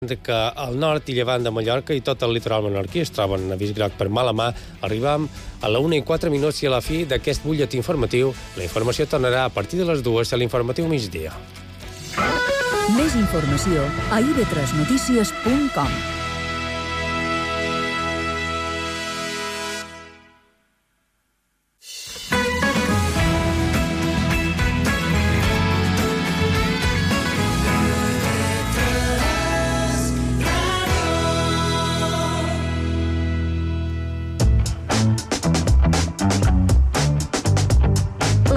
que al nord i llevant de Mallorca i tot el litoral menorquí es troben en avís groc per mala mà. Arribam a la 1:04 i a la fi d'aquest butlletí informatiu. La informació tornarà a partir de les 2 a l'informatiu migdia. Més informació a ib3notícies.com.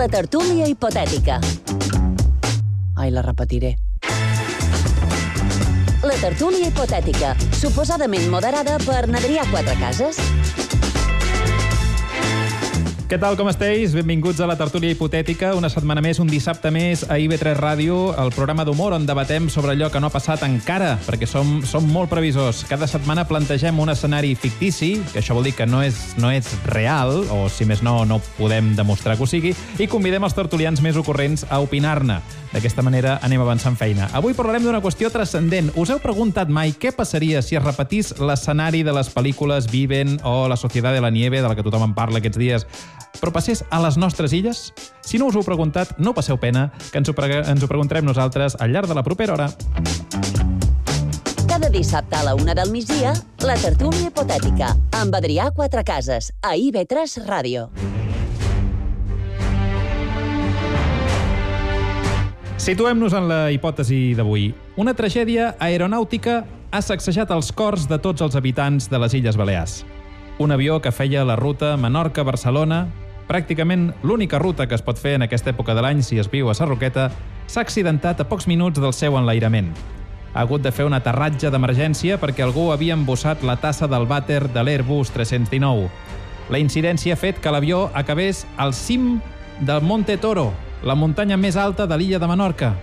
La tertúlia hipotètica. Ai, la repetiré. La tertúlia hipotètica, suposadament moderada per Adrià Quatrecases. Què tal, com esteu? Benvinguts a la tertúlia hipotètica, una setmana més, un dissabte més a IB3 Ràdio, el programa d'humor on debatem sobre allò que no ha passat encara, perquè som molt previsors. Cada setmana plantegem un escenari fictici, que això vol dir que no és real, o si més no podem demostrar que ho sigui, i convidem els tertulians més ocorrents a opinar-ne. D'aquesta manera anem avançant feina. Avui parlarem d'una qüestió transcendent. Us heu preguntat mai què passaria si es repetís l'escenari de les pel·lícules Viven o La Sociedad de la Nieve, de la que tothom en parla aquests dies, però passés a les nostres illes? Si no us ho heu preguntat, no passeu pena, que ens ho preguntarem nosaltres al llarg de la propera hora. Cada dissabte a la 1 del migdia, la tertúlia hipotètica, amb Adrià Quatrecases, a IB3 Ràdio. Situem-nos en la hipòtesi d'avui. Una tragèdia aeronàutica ha sacsejat els cors de tots els habitants de les Illes Balears. Un avió que feia la ruta Menorca-Barcelona, pràcticament l'única ruta que es pot fer en aquesta època de l'any si es viu a Sarroqueta, s'ha accidentat a pocs minuts del seu enlairament. Ha hagut de fer un aterratge d'emergència perquè algú havia embossat la tassa del vàter de l'Airbus 319. La incidència ha fet que l'avió acabés al cim del Monte Toro, la muntanya més alta de l'illa de Menorca.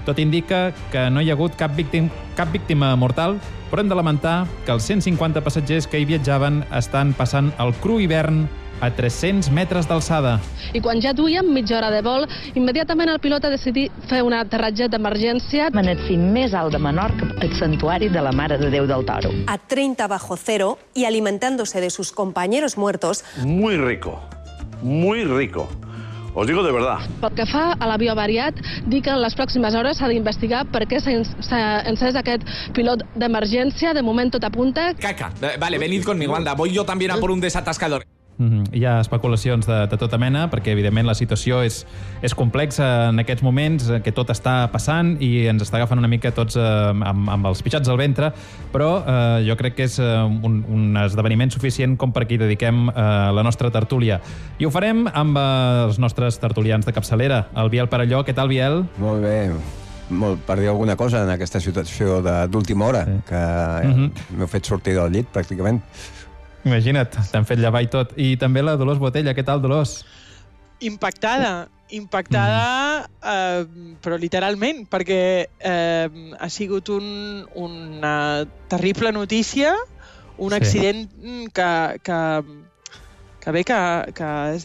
Tot indica que no hi ha hagut cap víctima mortal, però hem de lamentar que els 150 passatgers que hi viatjaven estan passant el cru hivern a 300 metres d'alçada. I quan ja duíem mitja hora de vol, immediatament el pilot ha decidit fer un aterratge d'emergència. En el cim més alt de Menorca, el santuari de la Mare de Déu del Toro. A 30 bajo cero y alimentándose de sus compañeros muertos. Muy rico, muy rico. Os digo de verdad. Pel que fa a l'avió avariat, dic que en les pròximes hores s'ha d'investigar per què s'ha encès aquest pilot d'emergència. De moment tot apunta. Caca. Vale, venid conmigo, anda. Voy yo también a por un desatascador. Hi ha especulacions de tota mena, perquè evidentment la situació és complexa en aquests moments, que tot està passant i ens està agafant una mica tots amb els pitjats al ventre, però jo crec que és un esdeveniment suficient com perquè hi dediquem la nostra tertúlia. I ho farem amb els nostres tertulians de capçalera. El Biel Parelló. Què tal, Biel? Molt bé. Per dir alguna cosa en aquesta situació d'última hora, que m'heu fet sortir del llit, pràcticament. Imagina't, t'han fet llevar i tot. I també la Dolors Botella. Què tal, Dolors? Impactada, però literalment, perquè ha sigut una terrible notícia, un accident que bé que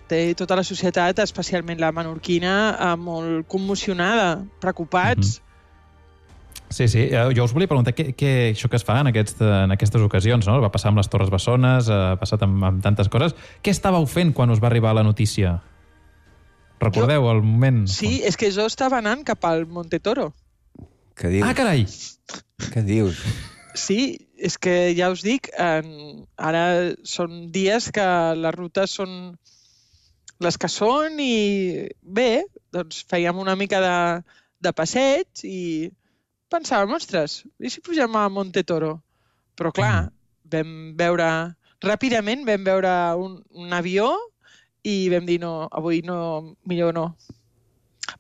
té tota la societat, especialment la menorquina, molt commocionada, preocupats. Sí, jo us volia preguntar això que es fa en aquestes ocasions, no? Va passar amb les Torres Bessones, ha passat amb tantes coses. Què estàveu fent quan us va arribar la notícia? Recordeu el moment? Sí, és que jo estava anant cap al Monte Toro. Què dius? Ah, carai! Què dius? Sí, és que ja us dic, ara són dies que les rutes són les que són i bé, doncs fèiem una mica de passeig i pensàvem, ostres, i si pugem a Monte Toro? Però clar, ràpidament vam veure un avió i vam dir no, avui no, millor no.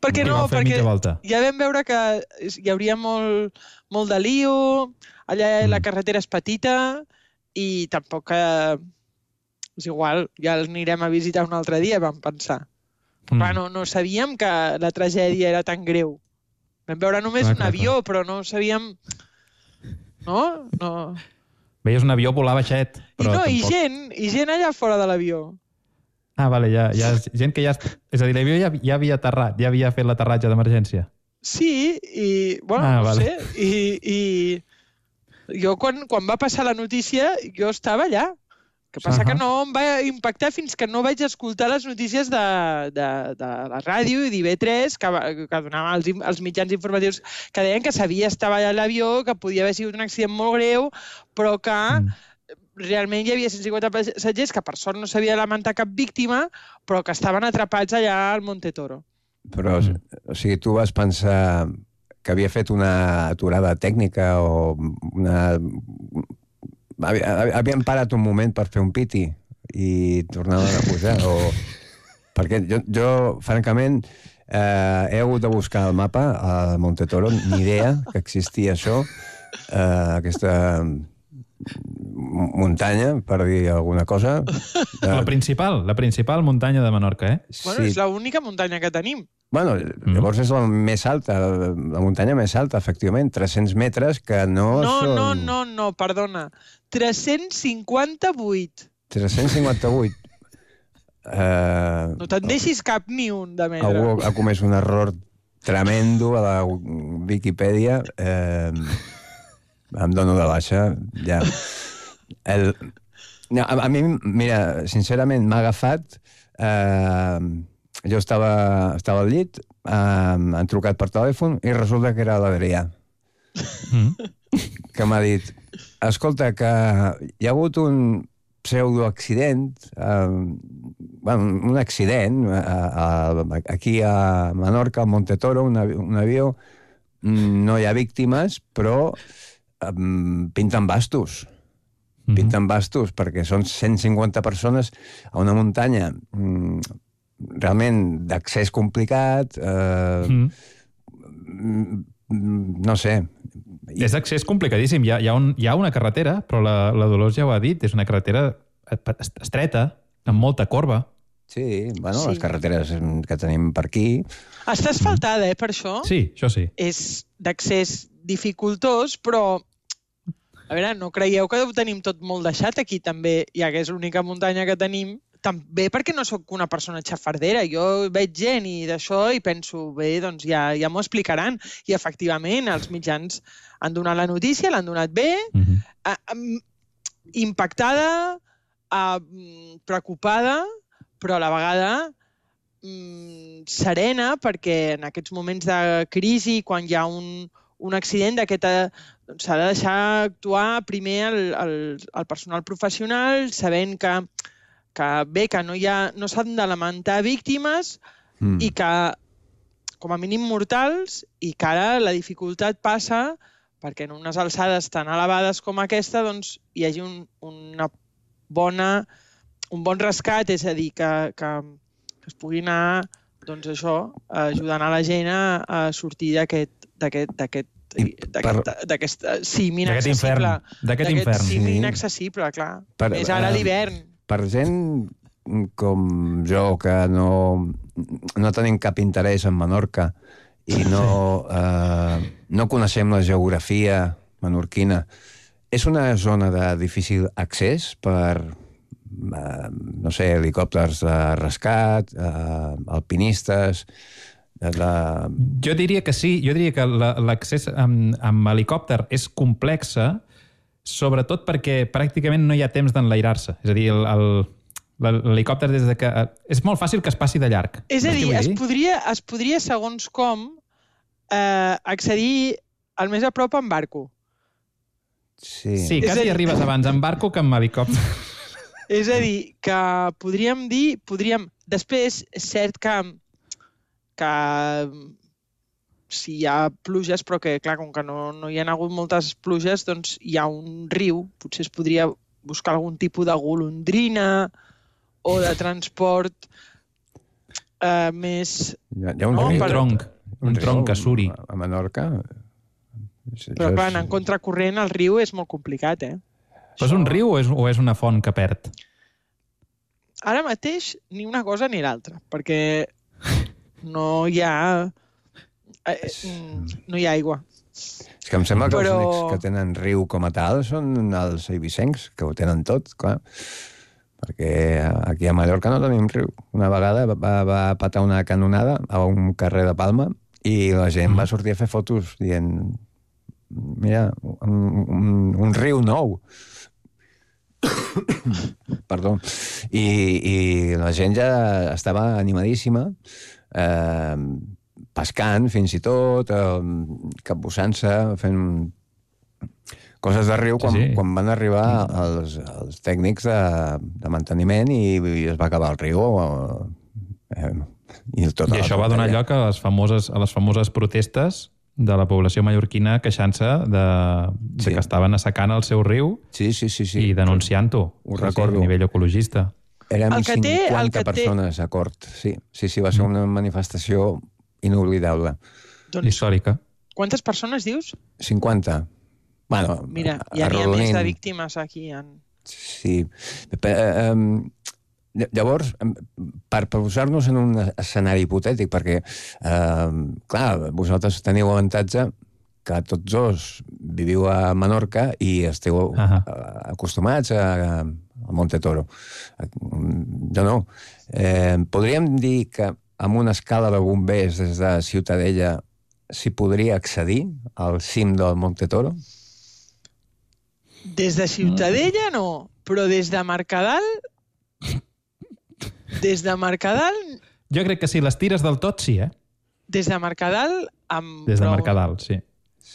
Per què no? Perquè ja vam veure que hi hauria molt de lío, allà la carretera és petita i tampoc és igual, ja l'anirem a visitar un altre dia, vam pensar. Però no sabíem que la tragèdia era tan greu. Vam veure només un avió, però no sabíem... No? Veies un avió volar baixet. I gent allà fora de l'avió. Ah, vale, hi ha gent que ja... És a dir, l'avió ja havia aterrat, ja havia fet l'aterratge d'emergència. Sí, i... Bueno, no sé. I Jo, quan va passar la notícia, jo estava allà. El que passa que no em va impactar fins que no vaig escoltar les notícies de la ràdio i d'IV3, que donava els mitjans informatius, que deien que sabia estar allà a l'avió, que podia haver sigut un accident molt greu, però que realment hi havia 150 passatgers que per sort no s'havia de lamentar cap víctima, però que estaven atrapats allà al Monte Toro. Però, o sigui, tu vas pensar que havia fet una aturada tècnica o una... Havien parat un moment per fer un piti i tornaven a pujar, o... Perquè jo francament, he hagut de buscar el mapa a Monte Toro, ni idea que existia això, aquesta muntanya, per dir alguna cosa. La principal muntanya de Menorca, eh? Bueno, és l'única muntanya que tenim. Bueno, llavors és la més alta, la muntanya més alta, efectivament, 300 metres, que no són... No, perdona. 358. 358. No te'n deixis cap ni un de metre. Algú ha comès un error tremendo a la Viquipèdia. Em dono de baixa, ja. A mi, mira, sincerament, m'ha agafat... Jo estava al llit, han trucat per telèfon i resulta que era l'Adrià. Que m'ha dit, escolta, que hi ha hagut un pseudoaccident, un accident, aquí a Menorca, al Monte Toro, un avió, no hi ha víctimes, però pinten bastos. Pinten bastos, perquè són 150 persones a una muntanya realment d'accés complicat, no sé. És d'accés complicadíssim. Hi ha una carretera, però la Dolors ja ho ha dit, és una carretera estreta, amb molta corba. Sí, bueno, les carreteres que tenim per aquí... Està asfaltada, per això? Sí, això sí. És d'accés dificultós, però... A veure, no creieu que ho tenim tot molt deixat aquí, també, ja que és l'única muntanya que tenim, també perquè no sóc una persona xafardera. Jo veig gent i d'això i penso, bé, doncs ja m'ho explicaran. I, efectivament, els mitjans han donat la notícia, l'han donat bé, impactada, preocupada, però a la vegada serena, perquè en aquests moments de crisi, quan hi ha un accident d'aquest... S'ha de deixar actuar primer el personal professional, sabent que no s'han de lamentar víctimes i que, com a mínim mortals, i que ara la dificultat passa perquè en unes alçades tan elevades com aquesta doncs, hi hagi un bon rescat, és a dir, que es pugui anar doncs això, ajudant a la gent a sortir d'aquest cim inaccessible. D'aquest cim inaccessible, clar. Més ara a l'hivern. Per gent com jo, que no tenim cap interès en Menorca i no coneixem la geografia menorquina, és una zona de difícil accés per, no sé, helicòpters de rescat, alpinistes... Jo diria que sí. Jo diria que l'accés amb helicòpter és complexa, sobretot perquè pràcticament no hi ha temps d'enlairar-se. És a dir, l'helicòpter des de que... És molt fàcil que es passi de llarg. És a dir, es podria, segons com, accedir al més a prop amb barco. Sí, quasi arribes abans amb barco que amb helicòpter. És a dir, que podríem dir... Després, és cert que si hi ha pluges, però que, clar, com que no hi ha hagut moltes pluges, doncs hi ha un riu. Potser es podria buscar algun tipus de golondrina o de transport més... Hi ha un riu, un tronc que suri. A Menorca. Però, clar, en contracorrent el riu és molt complicat, Però és un riu o és una font que perd? Ara mateix ni una cosa ni l'altra, perquè no hi ha aigua. És que em sembla que els únics que tenen riu com a tal són els eivissencs, que ho tenen tot, clar. Perquè aquí a Mallorca no tenim riu. Una vegada va patar una canonada a un carrer de Palma i la gent va sortir a fer fotos dient mira, un riu nou. Perdó. I la gent ja estava animadíssima, pescant fins i tot, capbussant-se, fent coses de riu quan van arribar els tècnics de manteniment i es va acabar el riu. I això va donar lloc a les famoses protestes de la població mallorquina queixant-se de que estaven assecant el seu riu i denunciant-ho a nivell ecologista. Érem 50 persones a Cort. Sí, va ser una manifestació inoblidable. Històrica. Quantes persones dius? 50. Bueno, mira, ja n'hi ha més de víctimes aquí. Sí. Llavors, per posar-nos en un escenari hipotètic, perquè, clar, vosaltres teniu avantatge que tots dos viviu a Menorca i esteu acostumats a Montetoro. Jo no. Podríem dir que amb una escala de bombers des de Ciutadella s'hi podria accedir al cim del Montetoro? Des de Ciutadella no, però des de Mercadal... Des de Mercadal... Jo crec que si les tires del tot, sí, eh? Des de Mercadal... Des de Mercadal, sí.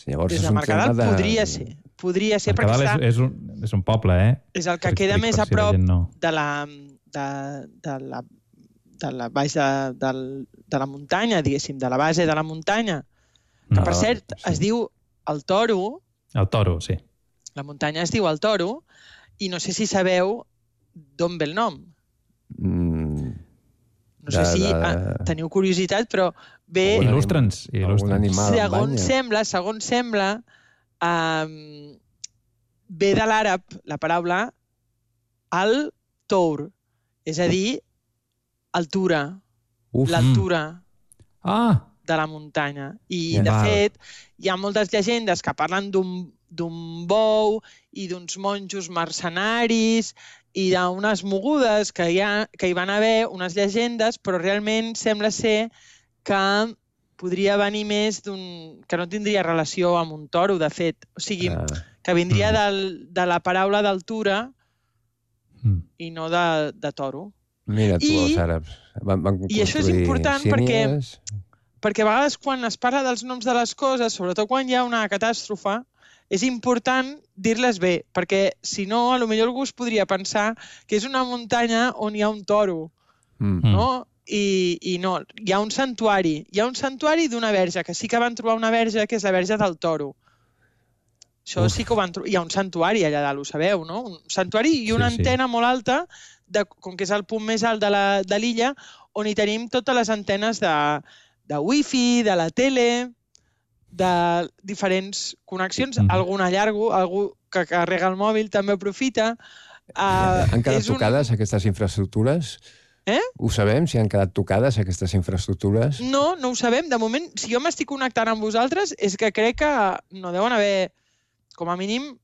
Des de Mercadal podria ser. Podria ser perquè està... Mercadal és un poble, eh? És el que queda més a prop de la base de la muntanya, diguéssim, de la base de la muntanya. Que, per cert, es diu el Toro. El Toro, sí. La muntanya es diu el Toro i no sé si sabeu d'on ve el nom. No sé si teniu curiositat, però ve... Il·lustra'ns. Segons sembla, ve de l'àrab la paraula al-Tour, és a dir, altura, l'altura de la muntanya. I, de fet, hi ha moltes llegendes que parlen d'un bou i d'uns monjos mercenaris i d'unes mogudes que hi van haver, unes llegendes, però realment sembla ser que podria venir més que no tindria relació amb un toro, de fet. O sigui, que vindria de la paraula d'altura i no de toro. Mira tu, els àrabs. I això és important perquè a vegades quan es parla dels noms de les coses, sobretot quan hi ha una catàstrofe, és important dir-les bé, perquè si no, potser algú es podria pensar que és una muntanya on hi ha un toro, no? I no, hi ha un santuari. Hi ha un santuari d'una verge, que sí que van trobar una verge, que és la verge del toro. Això sí que ho van trobar. Hi ha un santuari allà dalt, ho sabeu, no? Un santuari i una antena molt alta, com que és el punt més alt de l'illa, on hi tenim totes les antenes de wifi, de la tele, de diferents connexions, alguna llargo, algú que carrega el mòbil també aprofita. Han quedat tocades aquestes infraestructures? Ho sabem, si han quedat tocades aquestes infraestructures? No, no ho sabem. De moment, si jo m'estic connectant amb vosaltres, és que crec que no deuen haver, com a mínim,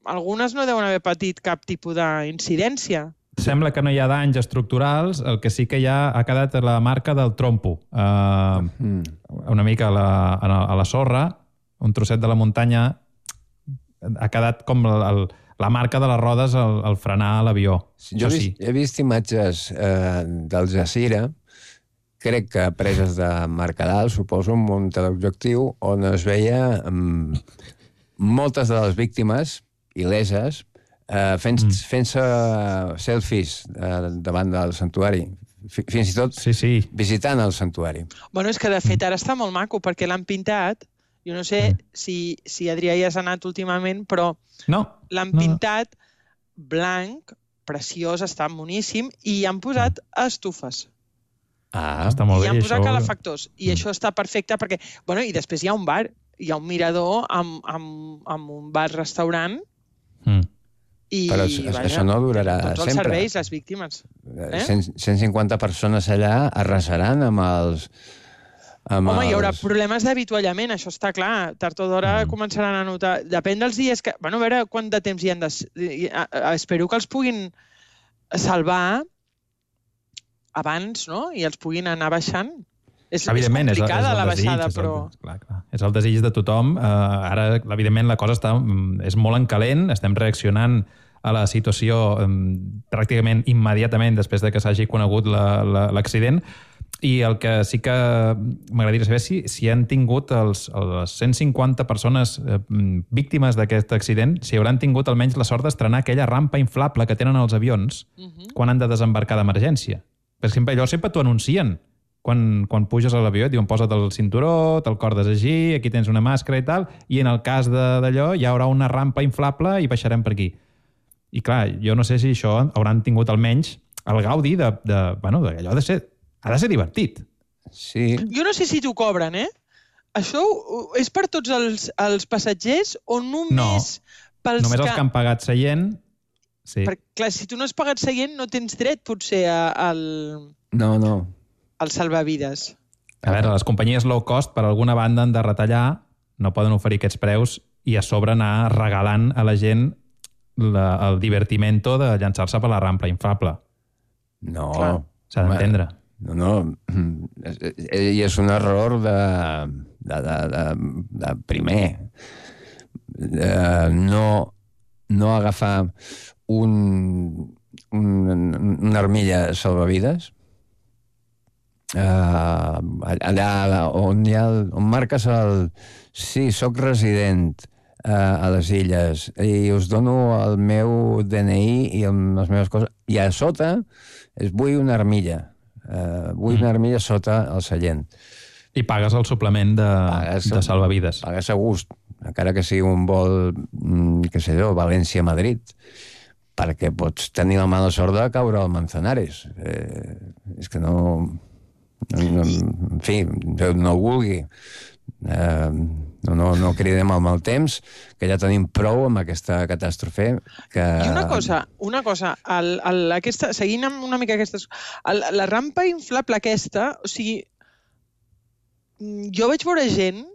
algunes no deuen haver patit cap tipus d'incidència. Sembla que no hi ha danys estructurals, el que sí que ja ha quedat la marca del trompo. Una mica a la sorra, un trosset de la muntanya, ha quedat com la marca de les rodes al frenar l'avió. Jo he vist imatges del Jazira, crec que preses de Mercadal, suposo, un teleobjectiu, on es veia moltes de les víctimes il·leses fent-se selfies davant del santuari. Fins i tot visitant el santuari. Bueno, és que de fet ara està molt maco perquè l'han pintat. Jo no sé si Adrià ja has anat últimament, però l'han pintat blanc, preciós, està boníssim, i hi han posat estufes. Està molt bé. I hi han posat calefactors. I això està perfecte perquè... Bueno, i després hi ha un bar, hi ha un mirador amb un bar-restaurant. Però això no durarà sempre. Tots els serveis, les víctimes. 150 persones allà arrasaran amb els... Home, hi haurà problemes d'avituallament, això està clar. Tard o d'hora començaran a notar... Depèn dels dies que... Bueno, a veure quant de temps hi han de... Espero que els puguin salvar abans, no? I els puguin anar baixant. És complicada la baixada, però... Clar. És el desig de tothom. Ara, evidentment, la cosa és molt en calent, estem reaccionant a la situació pràcticament immediatament després de que s'hagi conegut l'accident, i el que sí que m'agradaria saber si han tingut les 150 persones víctimes d'aquest accident, si hauran tingut almenys la sort d'estrenar aquella rampa inflable que tenen els avions quan han de desembarcar d'emergència. Per exemple, allò sempre t'ho anuncien. Quan puges a l'avió et diuen posa't el cinturó, te'l cordes així, aquí tens una màscara i tal, i en el cas d'allò hi haurà una rampa inflable i baixarem per aquí. I clar, jo no sé si això hauran tingut almenys el gaudi d'allò ha de ser divertit. Sí. Jo no sé si t'ho cobren, Això és per tots els passatgers o només pels només els que han pagat seient. Sí. Perquè, clar, si tu no has pagat seient, no tens dret, potser, al salvavides. A veure, les companyies low cost, per alguna banda, han de retallar, no poden oferir aquests preus i a sobre anar regalant a la gent el divertimento de llançar-se per la rampa inflable. No. S'ha d'entendre. No. I és un error de primer. No agafar una armilla salvavides allà on marques sí, soc resident a les illes i us dono el meu DNI i les meves coses, i a sota vull una armilla sota el seient. I pagues el suplement de salvavides. Pagues a gust, encara que sigui un vol, què sé jo, València-Madrid, perquè pots tenir la mala sort de caure al Manzanares. És que no... En fi, no ho vulgui. No cridem al mal temps, que ja tenim prou amb aquesta catàstrofe. I una cosa, seguint amb una mica aquestes... La rampa inflable aquesta, o sigui, jo vaig veure gent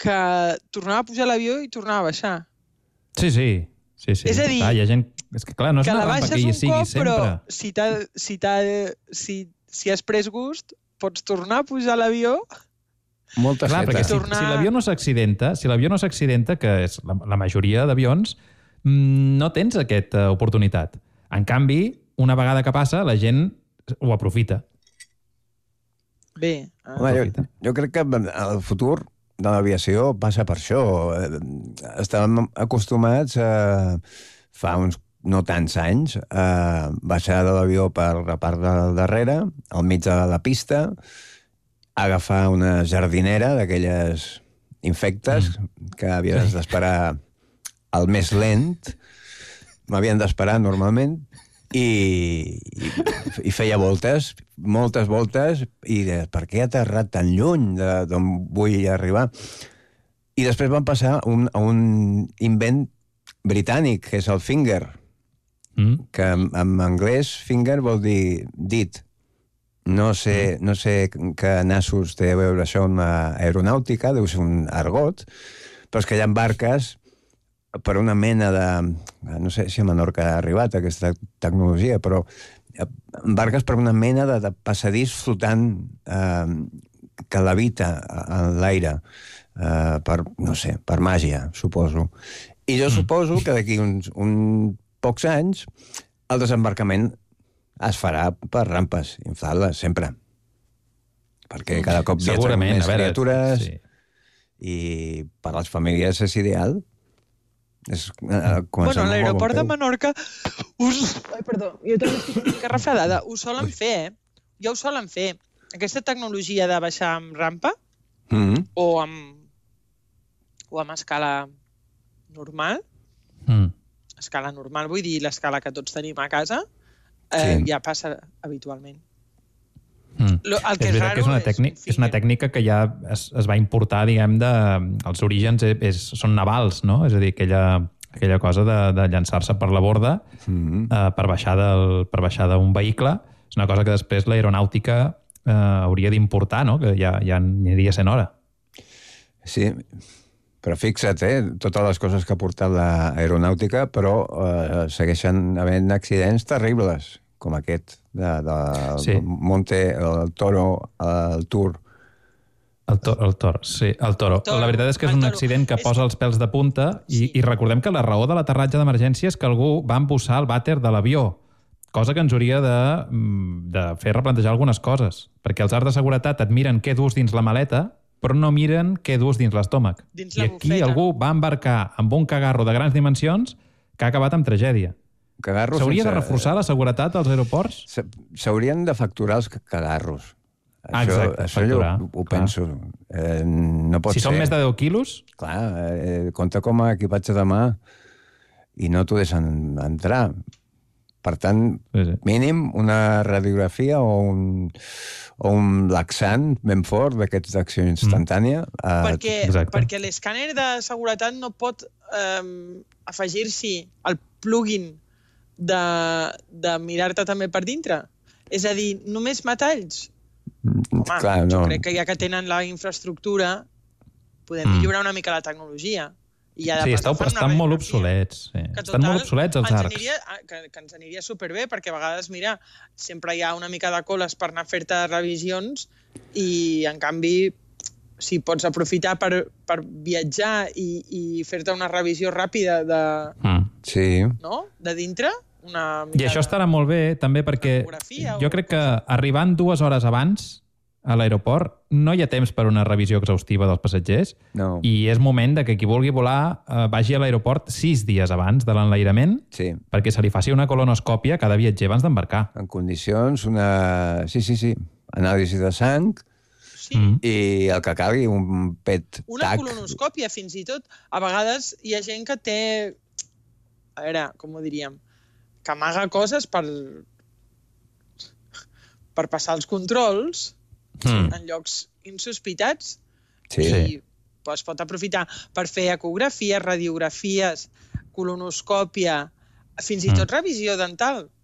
que tornava a pujar a l'avió i tornava a baixar. Sí. És a dir, hi ha gent... És que clar, no és una rampa que hi sigui sempre. Però si has pres gust, pots tornar a pujar a l'avió... Molta clar, perquè si l'avió no s'accidenta, que és la majoria d'avions, no tens aquesta oportunitat. En canvi, una vegada que passa, la gent ho aprofita. Bé. Jo crec que el futur de l'aviació passa per això. Estàvem acostumats fa uns no tants anys a baixar de l'avió per la part del darrere, al mig de la pista, agafar una jardinera d'aquelles infectes que havies d'esperar el més lent, m'havien d'esperar normalment, i feia voltes, moltes voltes, i per què he aterrat tan lluny d'on vull arribar? I després van passar a un invent britànic, que és el finger, que en anglès finger vol dir dit. No sé que nassos té a veure això amb aeronàutica, deu ser un argot, però és que hi ha barques per una mena de... No sé si a Menorca ha arribat aquesta tecnologia, però barques per una mena de passadís flotant que levita en l'aire per màgia, suposo. I jo suposo que d'aquí uns pocs anys el desembarcament es farà per rampes inflables, sempre. Perquè cada cop viatgen més criatures i per a les famílies és ideal. Bueno, a l'aeroport de Menorca perdó, jo també estic una mica refredada. Ho solen fer, Ja ho solen fer. Aquesta tecnologia de baixar amb rampa o amb escala normal, escala normal, vull dir l'escala que tots tenim a casa, ja passa habitualment. És veritat que és una tècnica que ja es va importar, diguem, els orígens són navals, no? És a dir, aquella cosa de llançar-se per la borda per baixar d'un vehicle. És una cosa que després l'aeronàutica hauria d'importar, no? Que ja aniria sent hora. Sí, però fixa't, totes les coses que ha portat l'aeronàutica, però segueixen havent accidents terribles, com aquest de Monte, el Toro, el Tour, El toro, sí, el toro. La veritat és que és un accident que posa els pèls de punta i recordem que la raó de l'aterratge d'emergència és que algú va embussar el vàter de l'avió, cosa que ens hauria de fer replantejar algunes coses, perquè els arts de seguretat et miren què dus dins la maleta, però no miren què dus dins l'estómac. I aquí algú va embarcar amb un cagarro de grans dimensions que ha acabat amb tragèdia. S'hauria de reforçar la seguretat als aeroports? S'haurien de facturar els cagarros. Això jo ho penso. No pot ser. Si són més de 10 quilos? Clar, compta com a equipatge de mà i no t'ho deixen entrar. Per tant, mínim una radiografia o un laxant ben fort d'aquests d'acció instantània. Perquè l'escàner de seguretat no pot afegir-s'hi el plugin de mirar-te també per dintre. És a dir, només metalls. Home, jo crec que ja que tenen la infraestructura podem millorar una mica la tecnologia. Sí, estan molt obsolets. Estan molt obsolets els arcs. Que ens aniria superbé, perquè a vegades, mira, sempre hi ha una mica de coles per anar a fer-te revisions i, en canvi, si pots aprofitar per viatjar i fer-te una revisió ràpida de dintre, i això estarà molt bé, també, perquè jo crec que arribant 2 hores abans a l'aeroport no hi ha temps per una revisió exhaustiva dels passatgers i és moment de que qui vulgui volar vagi a l'aeroport 6 dies abans de l'enlairament perquè se li faci una colonoscòpia a cada viatger abans d'embarcar. En condicions, anàlisi de sang i el que calgui, un PET-TAC. Una colonoscòpia, fins i tot. A vegades hi ha gent que té... A veure, com ho diríem? Que amaga coses per passar els controls en llocs insospitats i es pot aprofitar per fer ecografies, radiografies, colonoscòpia, fins i tot revisió dental.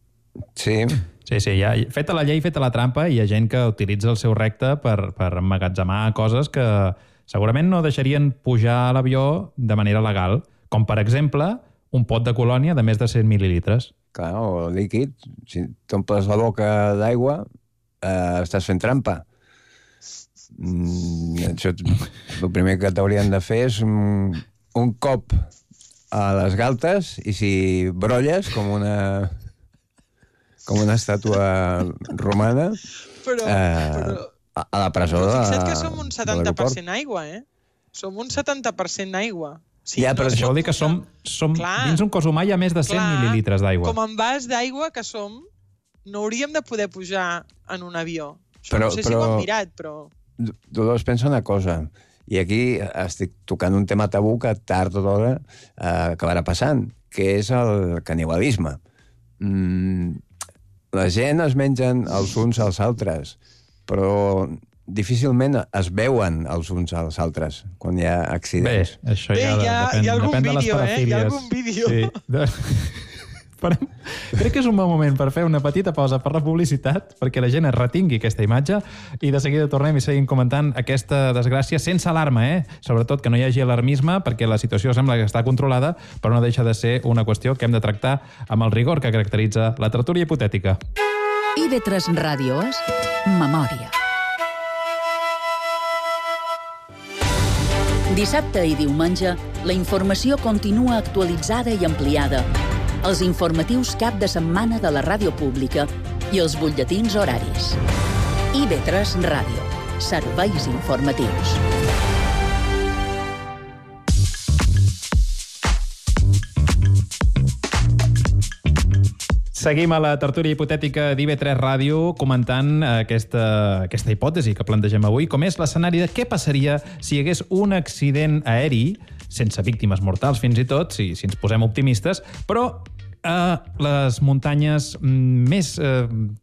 Sí, ja, feta la llei, feta la trampa, hi ha gent que utilitza el seu recte per emmagatzemar coses que segurament no deixarien pujar a l'avió de manera legal, com per exemple un pot de colònia de més de 100 mil·lilitres. Clar, o líquid. Si t'omples la boca d'aigua, estàs fent trampa. El primer que t'haurien de fer és un cop a les galtes i si brolles com una estàtua romana a la presó de l'aeroport. Fixa't que som un 70% aigua, Som un 70% aigua. Sí, però això vol dir que som dins un cos humà hi ha més de 100 mil·lilitres d'aigua. Com en vas d'aigua que som, no hauríem de poder pujar en un avió. No sé si ho han mirat, però... Dolors, pensa una cosa, i aquí estic tocant un tema tabú que tard o d'hora acabarà passant, que és el canibalisme. La gent es mengen els uns als altres, però difícilment es veuen els uns als altres quan hi ha accidents. Bé, això depèn de les parafílies. Hi ha algun vídeo. Crec que és un bon moment per fer una petita pausa per la publicitat, perquè la gent es retingui aquesta imatge, i de seguida tornem i seguim comentant aquesta desgràcia sense alarma, Sobretot que no hi hagi alarmisme, perquè la situació sembla que està controlada, però no deixa de ser una qüestió que hem de tractar amb el rigor que caracteritza la tertúlia hipotètica. IB3 Ràdio és Memòria. Dissabte i diumenge, la informació continua actualitzada i ampliada. Els informatius cap de setmana de la ràdio pública i els butlletins horaris. IB3 Ràdio. Serveis informatius. Seguim a la tertúlia hipotètica d'IB3 Ràdio comentant aquesta hipòtesi que plantegem avui, com és l'escenari de què passaria si hi hagués un accident aeri, sense víctimes mortals fins i tot, si ens posem optimistes, però a les muntanyes més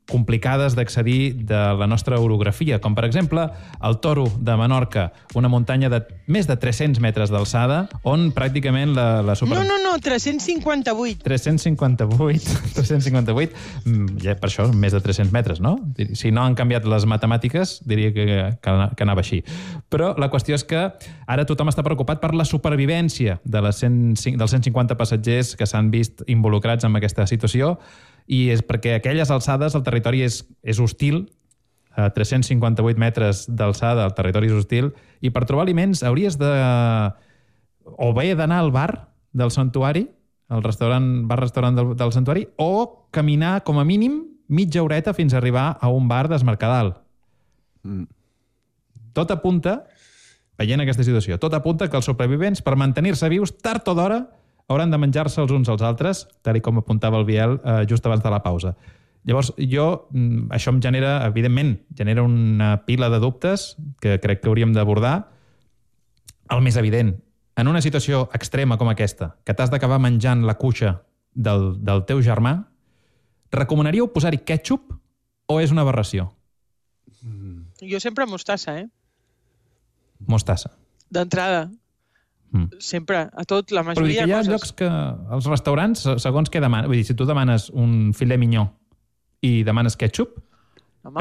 complicades d'accedir de la nostra orografia, com per exemple el Toro de Menorca, una muntanya de més de 300 metres d'alçada, on pràcticament la super... No, 358. 358. Ja per això més de 300 metres, no? Si no han canviat les matemàtiques, diria que anava així. Però la qüestió és que ara tothom està preocupat per la supervivència dels 150 passatgers que s'han vist involucrats en aquesta situació, i és perquè a aquelles alçades el territori és hostil, a 358 metres d'alçada al territori hostil, i per trobar aliments hauries de... o bé d'anar al bar del santuari, al bar-restaurant del santuari, o caminar com a mínim mitja horeta fins a arribar a un bar d'Esmercadal. Tot apunta, veient aquesta situació, tot apunta que els supervivents, per mantenir-se vius, tard o d'hora, hauran de menjar-se els uns als altres, tal com apuntava el Biel just abans de la pausa. Llavors, això em genera, evidentment, una pila de dubtes que crec que hauríem d'abordar. El més evident, en una situació extrema com aquesta, que t'has d'acabar menjant la cuixa del teu germà, recomanaríeu posar-hi ketchup o és una aberració? Jo sempre mostassa, Mostassa. D'entrada. Sempre, a tot, la majoria Però de coses. hi ha llocs que, als restaurants, segons què demanes, vull dir, si tu demanes un filet minyó i demanes ketchup,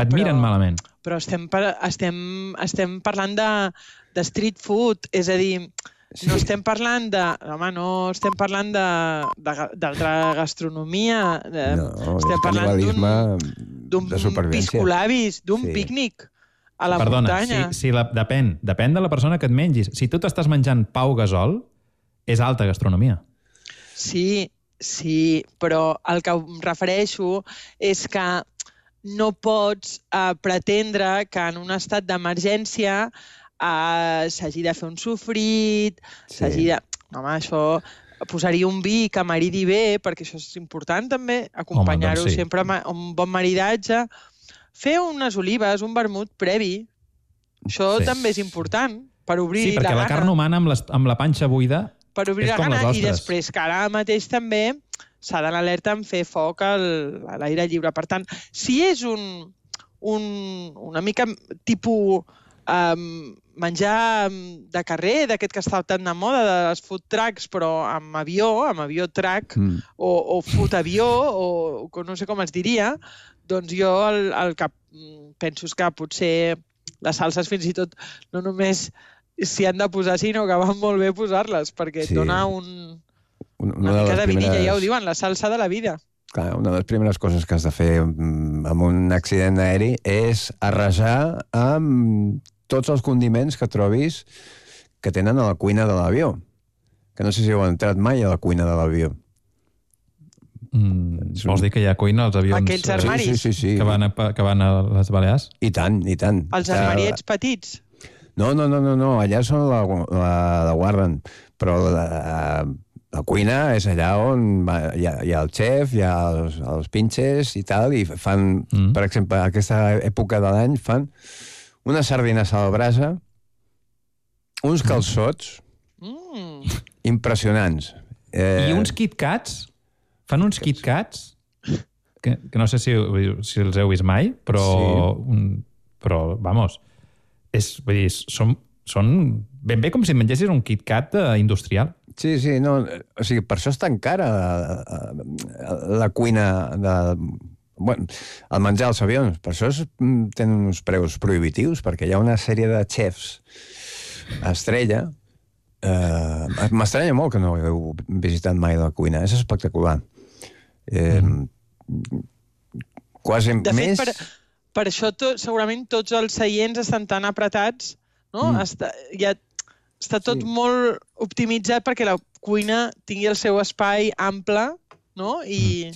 et miren malament. Però estem parlant de street food, és a dir, no estem parlant d'altra gastronomia, estem parlant d'un piscolabis, d'un pícnic a la muntanya. Depèn de la persona que et mengis. Si tu t'estàs menjant pau gasol, és alta gastronomia. Sí, però el que em refereixo és que no pots pretendre que en un estat d'emergència s'hagi de fer un sofrit, s'hagi de... Home, això... Posaria un vi que maridi bé, perquè això és important també, acompanyar-ho sempre amb un bon maridatge. Fer unes olives, un vermut previ, això també és important per obrir la gana. Sí, perquè la carn humana amb la panxa buida per obrir la gana, i després que ara mateix també s'ha d'anar alerta en fer foc a l'aire lliure. Per tant, si és una mica tipus menjar de carrer, d'aquest que està tan de moda, dels food trucks, però amb avió truck, o food avió, o no sé com es diria, doncs jo el que penso és que potser les salses fins i tot no només s'hi han de posar, sinó que van molt bé posar-les, perquè et dona una mica de vidilla, ja ho diuen, la salsa de la vida. Clar, una de les primeres coses que has de fer amb un accident aeri és arrasar amb tots els condiments que trobis que tenen a la cuina de l'avió. Que no sé si heu entrat mai a la cuina de l'avió. Vols dir que hi ha cuina als avions? Aquells armaris? Sí. Que van a les Balears? I tant. Els armariets petits? No, allà són la guarden, però la cuina és allà on hi ha el xef, hi ha els pinches i tal, i fan, per exemple, a aquesta època de l'any, fan unes sardines a la brasa, uns calçots impressionants. I uns KitKats? Fan uns KitKats que no sé si els heu vist mai, però vamos, vull dir, són ben bé com si mengessis un KitKat industrial. Sí, no, o sigui, per això és tan cara la cuina el menjar als avions. Per això tenen uns preus prohibitius, perquè hi ha una sèrie de xefs estrella. M'estranya molt que no heu visitat mai la cuina. És espectacular. Quasi més... De fet, per això segurament tots els seients estan tan apretats, no? Està tot molt optimitzat perquè la cuina tingui el seu espai ample, no? Sí.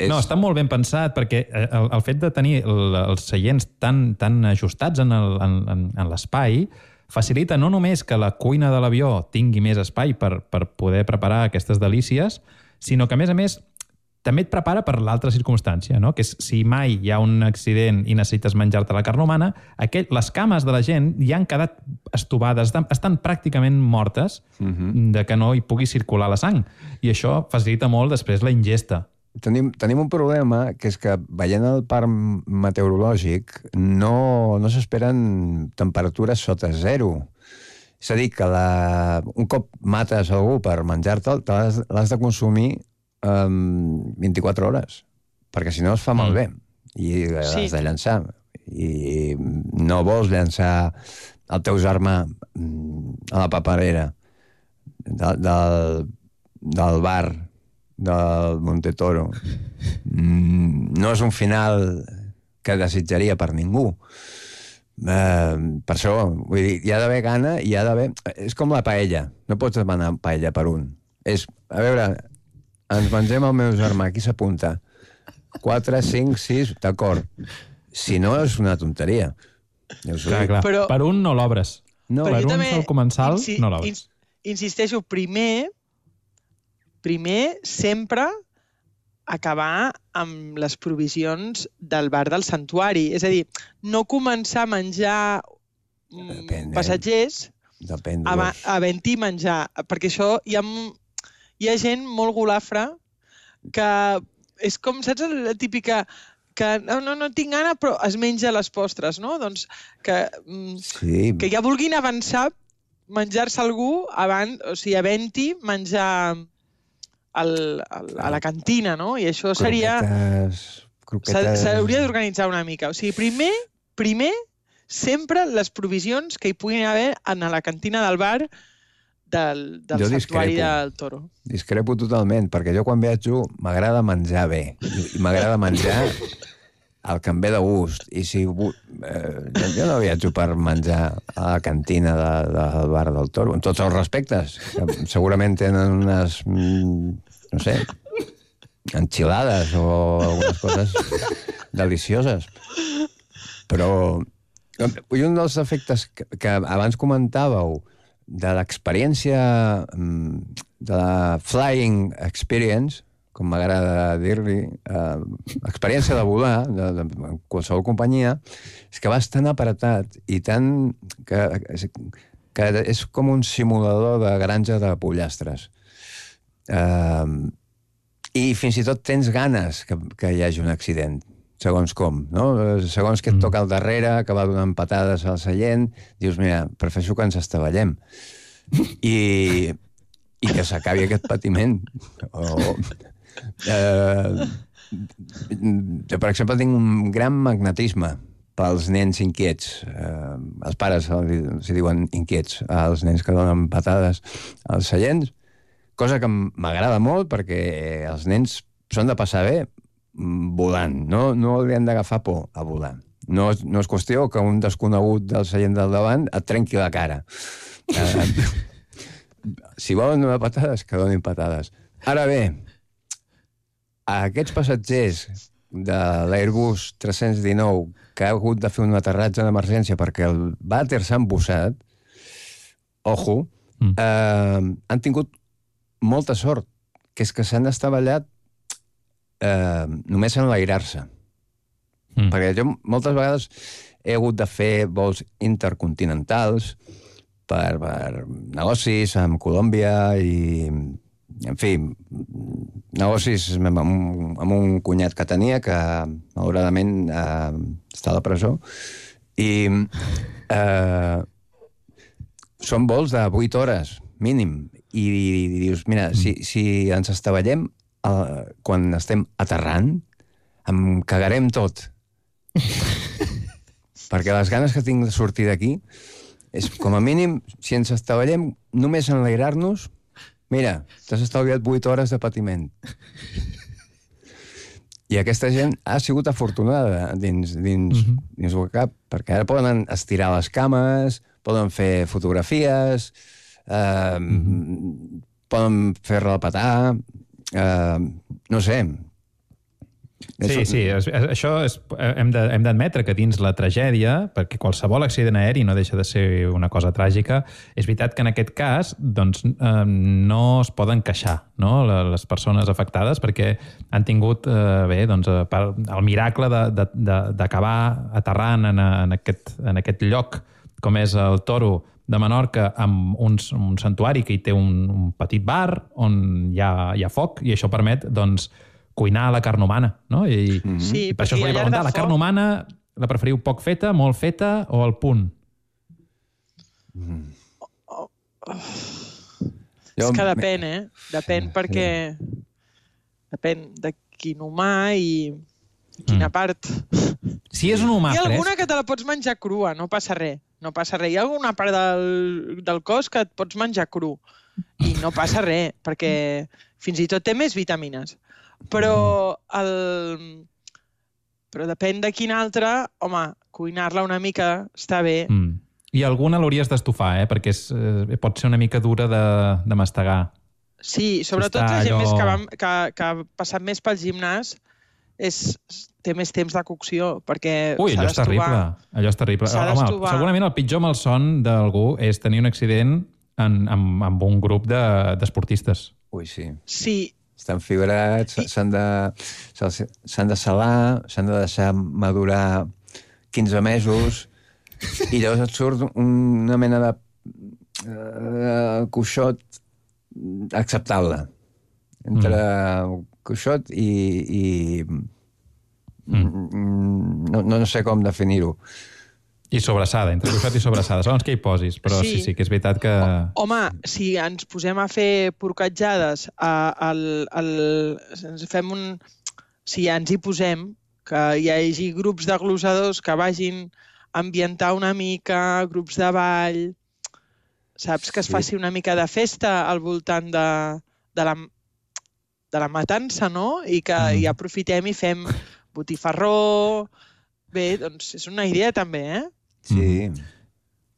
No, està molt ben pensat, perquè el fet de tenir els seients tan ajustats en l'espai facilita no només que la cuina de l'avió tingui més espai per poder preparar aquestes delícies, sinó que, a més, també et prepara per l'altra circumstància, no? Que és, si mai hi ha un accident i necessites menjar-te la carn humana, les cames de la gent ja han quedat estovades, estan pràcticament mortes de que no hi pugui circular la sang. I això facilita molt després la ingesta. Tenim un problema, que és que veient el parc meteorològic no s'esperen temperatures sota zero. És a dir, que un cop mates algú per menjar-te'l, l'has de consumir 24 hores, perquè si no es fa malbé i has de llançar. I no vols llançar el teu germà a la paperera del bar del Monte Toro. No és un final que desitjaria per ningú. Per això, vull dir, hi ha d'haver gana, hi ha d'haver... És com la paella, no pots demanar paella per un. És, a veure, ens mengem el meu germà, qui s'apunta? 4, 5, 6, d'acord. Si no, és una tonteria. Clar. Però... Per un no l'obres. No, per un sol comensal no l'obres. Insisteixo, primer sempre acabar amb les provisions del bar del santuari. És a dir, no començar a menjar passatgers havent-hi menjar. Perquè això hi ha gent molt golafra que és com, saps, la típica que no tinc gana però es menja les postres, no? Doncs que ja vulguin avançar, menjar-se algú abans, o sigui, havent-hi menjar a la cantina, no? I això seria... Croquetes... S'hauria d'organitzar una mica. O sigui, primer, sempre les provisions que hi puguin haver a la cantina del bar del santuari del Toro. Discrepo totalment, perquè jo quan viatjo m'agrada menjar bé. I m'agrada menjar el que em ve de gust. I si... jo no viatjo per menjar a la cantina del bar del Toro, amb tots els respectes. Segurament tenen unes... no sé, enchilades o algunes coses delicioses. Però un dels efectes que abans comentàveu de l'experiència de la flying experience, com m'agrada dir-li, experiència de volar, de qualsevol companyia, és que vas tan apretat i tan... que és com un simulador de granja de pollastres. I fins i tot tens ganes que hi hagi un accident, segons com, no? Segons que et toca al darrere, que va donant patades al seient, dius, mira, prefereixo que ens estavellem. I que s'acabi aquest patiment. Per exemple, tinc un gran magnetisme pels nens inquiets. Els pares els diuen inquiets als nens que donen patades als seients, cosa que m'agrada molt perquè els nens s'han de passar bé volant. No li han d'agafar por a volar. No és qüestió que un desconegut del seient del davant et trenqui la cara. Si volen donar patades, que donin patades. Ara bé, aquests passatgers de l'Airbus 319 que ha hagut de fer un aterratge d'emergència perquè el vàter s'ha embussat, ojo, han tingut molta sort, que és que s'han estavellat només enlairar-se. Perquè jo moltes vegades he hagut de fer vols intercontinentals per negocis amb Colòmbia i, en fi, negocis amb un cunyat que tenia que, malauradament, està a la presó. I són vols de 8 hores, mínim. I dius, mira, si ens estavellem quan estem aterrant, em cagarem tot. Perquè les ganes que tinc de sortir d'aquí és, com a mínim, si ens estavellem només enlairar-nos, mira, t'has estalviat 8 hores de patiment. I aquesta gent ha sigut afortunada dins el cap, perquè ara poden estirar les cames, poden fer fotografies, poden fer repetar, no sé. Sí, això hem d'admetre que dins la tragèdia, perquè qualsevol accident aeri no deixa de ser una cosa tràgica, és veritat que en aquest cas doncs, no es poden queixar, no? Les persones afectades, perquè han tingut el miracle d'acabar aterrant en aquest lloc com és el Toro de Menorca, amb un santuari que hi té un petit bar on hi ha foc, i això permet, doncs, cuinar la carn humana, no? I per això us volia preguntar, la carn humana la preferiu poc feta, molt feta o al punt? És que depèn, Depèn perquè... Depèn de quin humà i quina part. Si és un humà fresc... Hi ha alguna que te la pots menjar crua, no passa res. No passa res. Hi ha alguna part del cos que et pots menjar cru i no passa res, perquè fins i tot té més vitamines. Però però depèn de quin altre, home, cuinar-la una mica està bé. I alguna l'hauries d'estufar, perquè pot ser una mica dura de mastegar. Sí, sobretot la gent més que ha passat més pel gimnàs té més temps de cocció, perquè allò és terrible. Allò és terrible. Home, segurament el pitjor malson d'algú és tenir un accident amb un grup d'esportistes. Ui, sí. Sí. Estan fibrats, s'han de salar, s'han de deixar madurar 15 mesos i llavors et surt una mena de cuixot acceptable. Entre cuixot i no sé com definir-ho. I sobrassada, entre cuixot i sobrassada. Segons què hi posis, però sí que és veritat que... Home, si ens posem a fer porcatjades, si ens hi posem, que hi hagi grups de glosadors que vagin a ambientar una mica, grups de ball, saps? Que es faci una mica de festa al voltant de la matança, no? I que hi aprofitem i fem botifarró... Bé, doncs és una idea també, eh? Sí.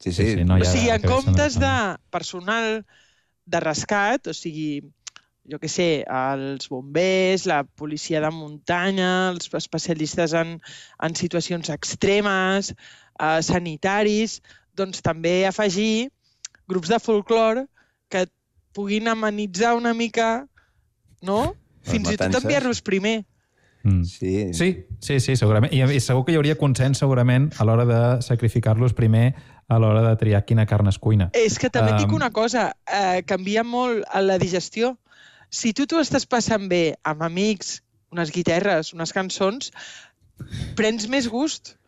O sigui, en comptes de personal de rescat, o sigui, jo què sé, els bombers, la policia de muntanya, els especialistes en situacions extremes, sanitaris, doncs també afegir grups de folclore que puguin amenitzar una mica, no? Fins i tot enviar-los primer. Sí, segurament. I segur que hi hauria consens, segurament, a l'hora de sacrificar-los primer a l'hora de triar quina carn es cuina. És que també et dic una cosa, canvia molt la digestió. Si tu t'ho estàs passant bé amb amics, unes guitarres, unes cançons, prens més gust.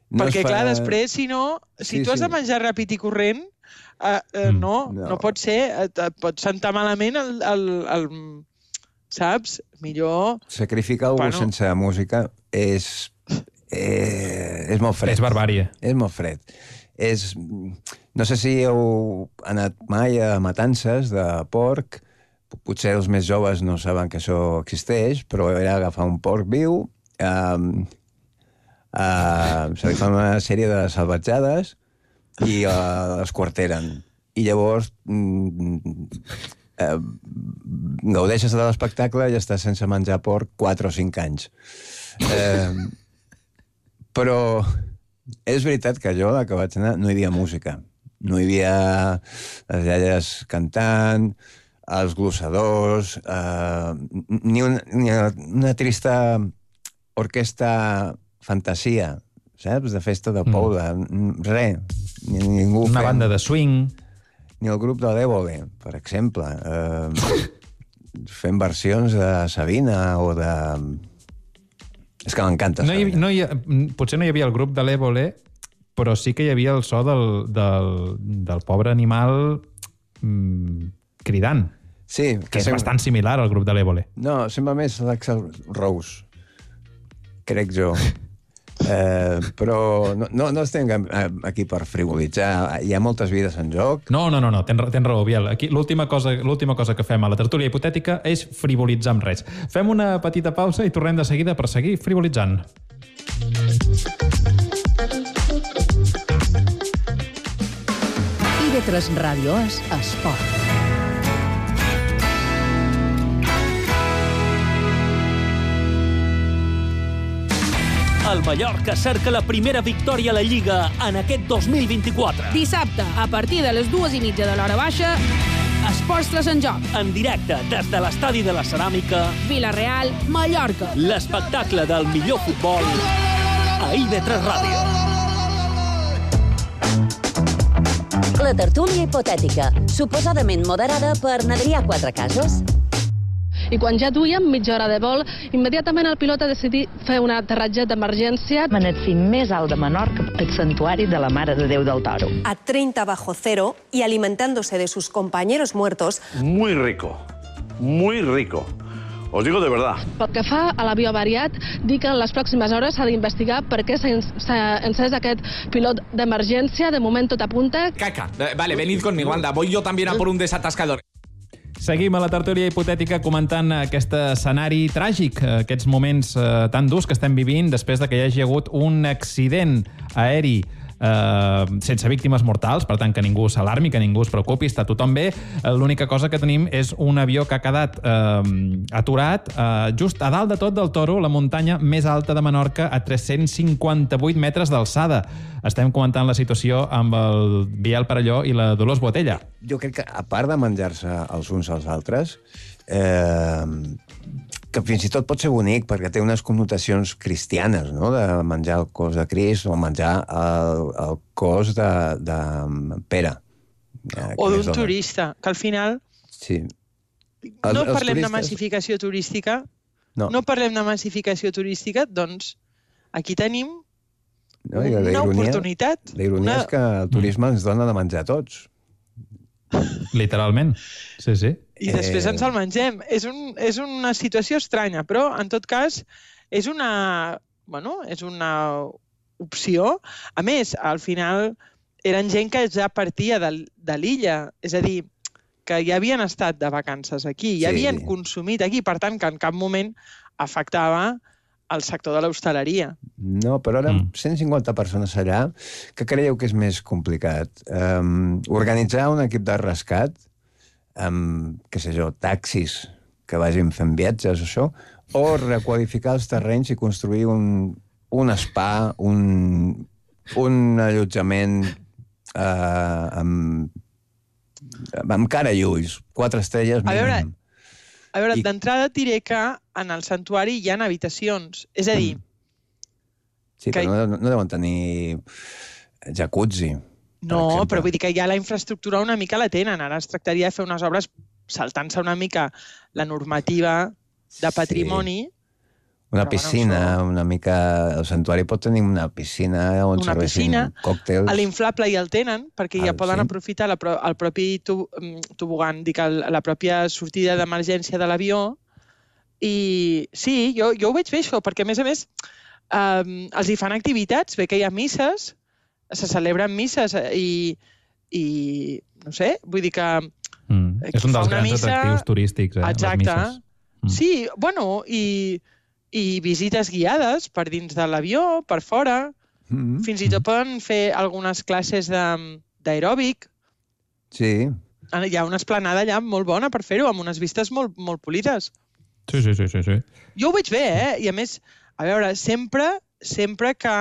Perquè, clar, després, si no, si tu has de menjar ràpid i corrent, no pot ser, et pot sentar malament el saps? Millor... Sacrificar algú sense música és molt fred. És barbària. És molt fred. No sé si heu anat mai a matances de porc, potser els més joves no saben que això existeix, però era agafar un porc viu, se li fa una sèrie de salvatjades i l'esquarteren. I llavors gaudeixes de l'espectacle i estàs sense menjar porc 4 o 5 anys. Però és veritat que jo, que vaig anar, no hi havia música. No hi havia les iaies cantant, els glossadors, ni una trista orquestra fantasia, saps? De festa de poble. Res. Una banda de swing... Ni el grup de l'Évole, per exemple, fent versions de Sabina o de... És que m'encanta Sabina. Potser no hi havia el grup de l'Évole, però sí que hi havia el so del pobre animal cridant. Sí. Que és bastant similar al grup de l'Évole. No, sembla més l'Axl Rose, crec jo. Però no estem aquí per frivolitzar. Hi ha moltes vides en joc. No, tens raó, Biel. Aquí l'última cosa que fem a la tertúlia hipotètica és frivolitzar amb res. Fem una petita pausa i tornem de seguida per seguir frivolitzant. IB3 Ràdio és esport. El Mallorca cerca la primera victòria a la Lliga en aquest 2024. Dissabte, a partir de les 2:30 de l'hora baixa, Esports 3 en joc. En directe des de l'estadi de la Ceràmica. Vila-real, Mallorca. L'espectacle del millor futbol a IB3 Ràdio. La tertúlia hipotètica, suposadament moderada per Adrià Quatrecases. I quan ja duíem mitja hora de vol, immediatament el pilot ha decidit fer un aterratge d'emergència en el cim més alt de Menorca, el santuari de la Mare de Déu del Toro. A 30 bajo cero y alimentándose de sus compañeros muertos. Muy rico, muy rico. Os digo de verdad. Pel que fa a l'avió avariat, dic que en les pròximes hores s'ha d'investigar per què s'ha encès aquest pilot d'emergència. De moment tot apunta. Caca. Vale, venid conmigo, anda. Voy yo también a por un desatascador. Seguim a la tertúlia hipotètica comentant aquest escenari tràgic, aquests moments tan durs que estem vivint després de que hi hagi hagut un accident aeri sense víctimes mortals, per tant que ningú s'alarmi, que ningú es preocupi, està tothom bé. L'única cosa que tenim és un avió que ha quedat aturat just a dalt de tot del Toro, la muntanya més alta de Menorca, a 358 metres d'alçada. Estem comentant la situació amb el Biel Parelló i la Dolors Botella. Jo crec que, a part de menjar-se els uns als altres, que fins i tot pot ser bonic perquè té unes connotacions cristianes, no?, de menjar el cos de Crist o menjar el cos de Pere. O d'un turista, que al final sí. No parlem de massificació turística, doncs aquí tenim una oportunitat. La ironia és que el turisme ens dona de menjar a tots. Literalment, sí. I després ens el mengem. És una situació estranya, però, en tot cas, és una opció. A més, al final, eren gent que ja partia de l'illa. És a dir, que ja havien estat de vacances aquí, ja havien consumit aquí, per tant, que en cap moment afectava el sector de l'hostaleria. No, però ara 150 persones allà, que creieu que és més complicat? Organitzar un equip de rescat amb, què sé jo, taxis que vagin fent viatges o això, o requalificar els terrenys i construir un spa, un allotjament amb cara i ulls, 4 estrelles mínim. A veure, d'entrada et diré que en el santuari hi ha habitacions. És a dir... Sí, però no deuen tenir jacuzzi. No, però vull dir que ja la infraestructura una mica la tenen. Ara es tractaria de fer unes obres saltant-se una mica la normativa de patrimoni. Una piscina, una mica... El santuari pot tenir una piscina on serveixin còctels. A l'inflable ja el tenen, perquè ja poden aprofitar el propi tobogan, dic, la pròpia sortida d'emergència de l'avió. I sí, jo ho veig bé, això, perquè, a més, els hi fan activitats, bé que hi ha misses, se celebren misses i no sé, vull dir que... És un dels grans atractius turístics, exacte. Sí, bueno, i visites guiades per dins de l'avió, per fora. Fins i tot poden fer algunes classes d'aeròbic. Sí. Hi ha una esplanada allà molt bona per fer-ho, amb unes vistes molt polides. Sí. Jo ho veig bé, I a més, a veure, sempre que...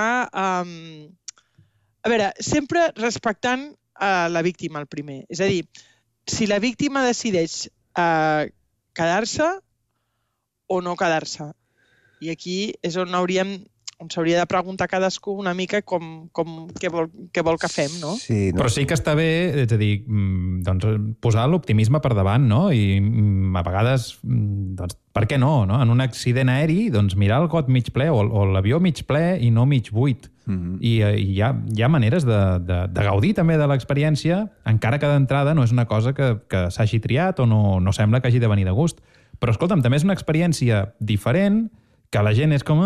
A veure, sempre respectant la víctima, el primer. És a dir, si la víctima decideix quedar-se o no quedar-se. I aquí és on s'hauria de preguntar cadascú una mica què vol que fem, no? Sí, Però sí que està bé, és a dir, posar l'optimisme per davant, no? I a vegades, per què no? En un accident aeri, mirar el got mig ple o l'avió mig ple i no mig buit. I hi ha maneres de gaudir també de l'experiència, encara que d'entrada no és una cosa que s'hagi triat o no sembla que hagi de venir de gust. Però, escolta'm, també és una experiència diferent, que la gent és com,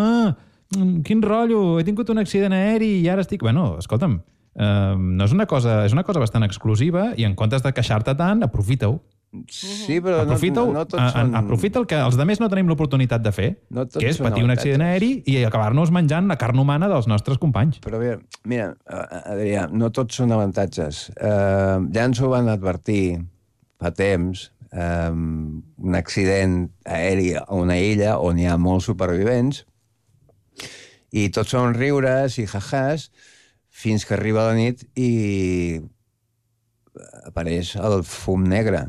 quin rotllo, he tingut un accident aeri i ara estic... Bueno, escolta'm, no és una cosa bastant exclusiva i en comptes de queixar-te tant, aprofita-ho. Sí, però no tots són... Aprofita el que els altres no tenim l'oportunitat de fer, que és patir un accident aeri i acabar-nos menjant la carn humana dels nostres companys. Però bé, mira, Adrià, no tots són avantatges. Ja ens ho van advertir fa temps, un accident aeri a una illa on hi ha molts supervivents i tots són riures i jajàs fins que arriba la nit i apareix el fum negre.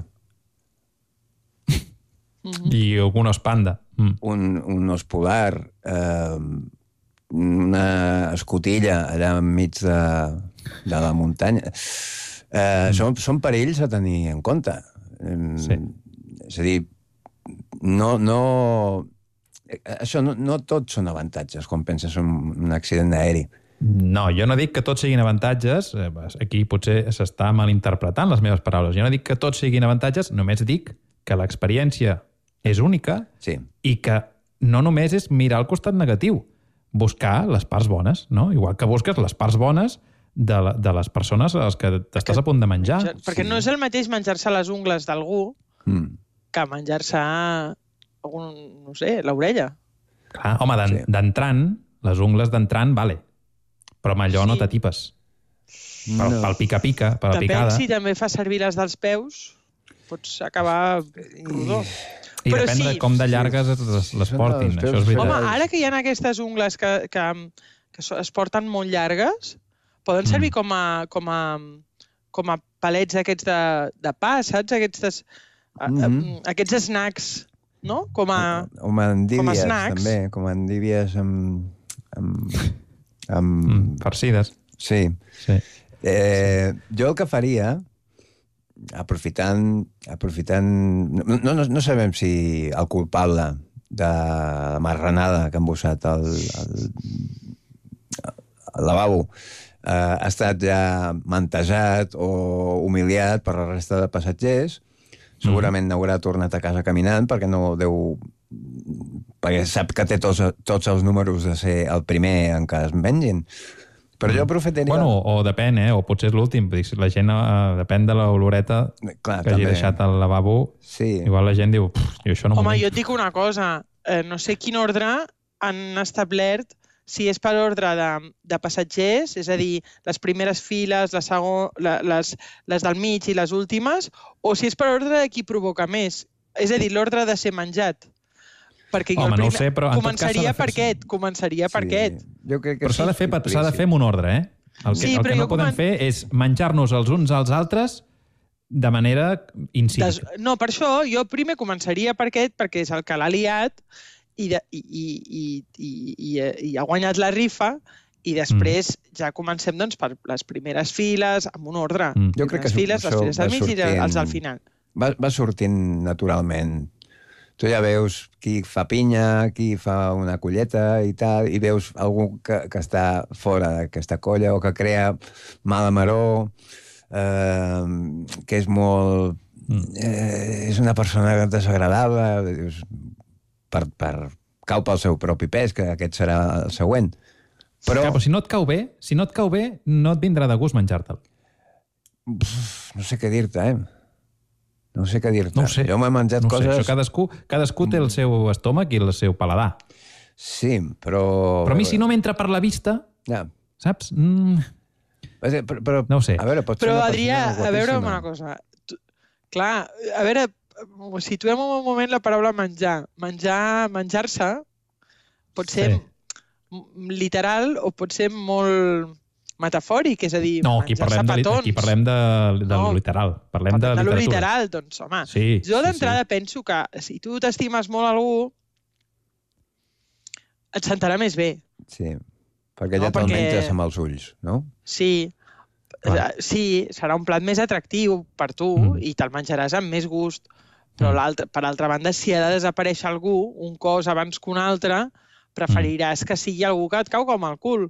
I un os panda. Un os polar, una escotilla allà enmig de la muntanya. Són perills a tenir en compte. És a dir, no tots són avantatges quan penses en un accident aeri. No, jo no dic que tots siguin avantatges, aquí potser s'està malinterpretant les meves paraules, jo no dic que tots siguin avantatges, només dic que l'experiència és única i que no només és mirar el costat negatiu, buscar les parts bones, no? Igual que busques les parts bones de les persones a les que t'estàs a punt de menjar. Perquè no és el mateix menjar-se les ungles d'algú que menjar-se, no sé, l'orella. Clar, home, d'entrant, les ungles d'entrant, vale. Però amb allò no t'atipes. Pel pica-pica, per la picada. Depèn si també fa servir les dels peus, pots acabar rodó. I depèn de com de llargues les portin, això és veritat. Home, ara que hi ha aquestes ungles que es porten molt llargues, poden servir com a palets aquests de pa, saps? Aquests snacks, no? Com a snacks. També, com a endívies farcides. Sí. Jo el que faria, aprofitant... No sabem si el culpable de la marranada que han embossat al lavabo ha estat ja mantejat o humiliat per la resta de passatgers, segurament n'haurà tornat a casa caminant perquè perquè sap que té tots els números de ser el primer en què es mengin. Però jo aprofitaria... Bueno, o depèn, o potser és l'últim. La gent, depèn de l'oloreta que hagi deixat al lavabo. Igual la gent diu, jo això no m'ho... Home, jo et dic una cosa. No sé quin ordre han establert, si és per ordre de passatgers, és a dir, les primeres files, les del mig i les últimes, o si és per ordre de qui provoca més. És a dir, l'ordre de ser menjat. Perquè jo començaria per aquest. Però s'ha de fer amb un ordre, El que no podem fer és menjar-nos els uns als altres de manera incívica. No, per això jo primer començaria per aquest, perquè és el que l'ha liat i ha guanyat la rifa, i després ja comencem per les primeres files, amb un ordre. Jo crec que les files del mig i els del final. Va sortint naturalment. Tu ja veus qui fa pinya, qui fa una colleta i tal, i veus algú que està fora d'aquesta colla o que crea mala maror, que és molt... és una persona desagradable, cau pel seu propi pes, que aquest serà el següent. Però si no et cau bé, no et vindrà de gust menjar-te'l. No sé què dir-te, No sé què dir-te. No ho sé. Jo m'he menjat coses... Cadascú té el seu estómac i el seu paladar. Sí, però... Però a mi si no m'entra per la vista, saps? Però, no ho sé. A veure, però, Adrià, a veure una cosa. Clar, a veure, situem un moment la paraula menjar. Menjar-se pot ser literal o pot ser molt... metafòric, és a dir, menjar-se petons. Aquí parlem de literal. Parlem de literatura. Literal, doncs, home. Jo d'entrada penso que si tu t'estimes molt algú, et sentarà més bé. Sí, perquè ja te'l menges amb els ulls, no? Sí, serà un plat més atractiu per tu i te'l menjaràs amb més gust. Però per altra banda, si ha de desaparèixer algú, un cos abans que un altre, preferiràs que sigui algú que et cau com el cul.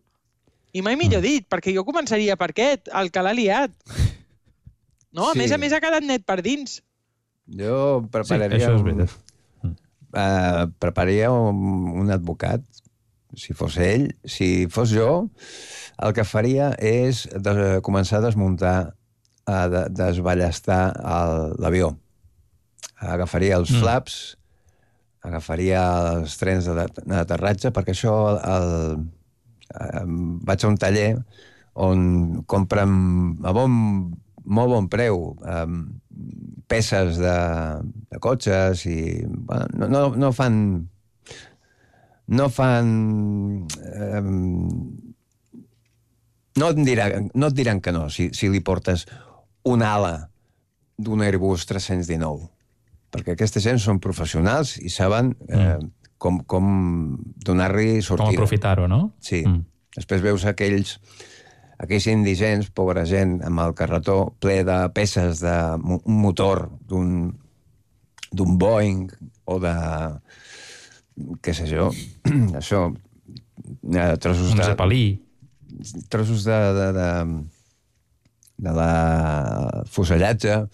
I mai millor dit, perquè jo començaria per aquest, el que l'ha liat. No, a més ha quedat net per dins. Jo prepararia... prepararia un advocat, si fos ell. Si fos jo, el que faria és començar a desmuntar, a desballestar l'avió. Agafaria els flaps, agafaria els trens d'aterratge, perquè això... vaig a un taller on compren a molt bon preu peces de cotxes i no fan no et diran que no si li portes una ala d'un Airbus 319, perquè aquesta gent són professionals i saben com donar-li sortida. Com aprofitar-ho, no? Sí. Després veus aquells indigents, pobra gent, amb el carretó ple de peces d'un motor, d'un Boeing o de... què sé jo, això, trossos de... Un Zeppelí. Trossos de la fusellatge.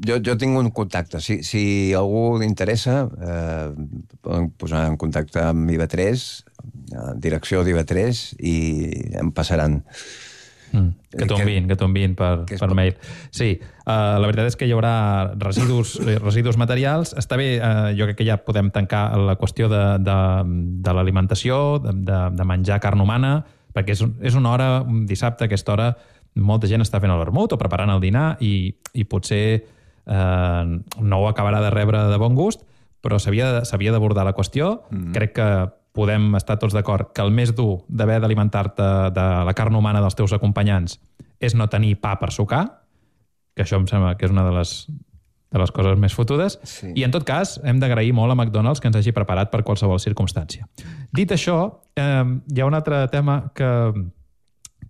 Jo tinc un contacte. Si algú li interessa, poden posar en contacte amb IB3, direcció d'IB3, i em passaran Que t'ho enviïn per mail. Sí, la veritat és que hi haurà residus materials. Està bé, jo crec que ja podem tancar la qüestió de l'alimentació, de menjar carn humana, perquè és una hora, un dissabte, a aquesta hora, molta gent està fent el vermut o preparant el dinar i potser no ho acabarà de rebre de bon gust, però s'havia d'abordar la qüestió. Crec que podem estar tots d'acord que el més dur d'haver d'alimentar-te de la carn humana dels teus acompanyants és no tenir pa per sucar, que això em sembla que és una de les coses més fotudes, i en tot cas hem d'agrair molt a McDonald's que ens hagi preparat per qualsevol circumstància. Dit això, hi ha un altre tema que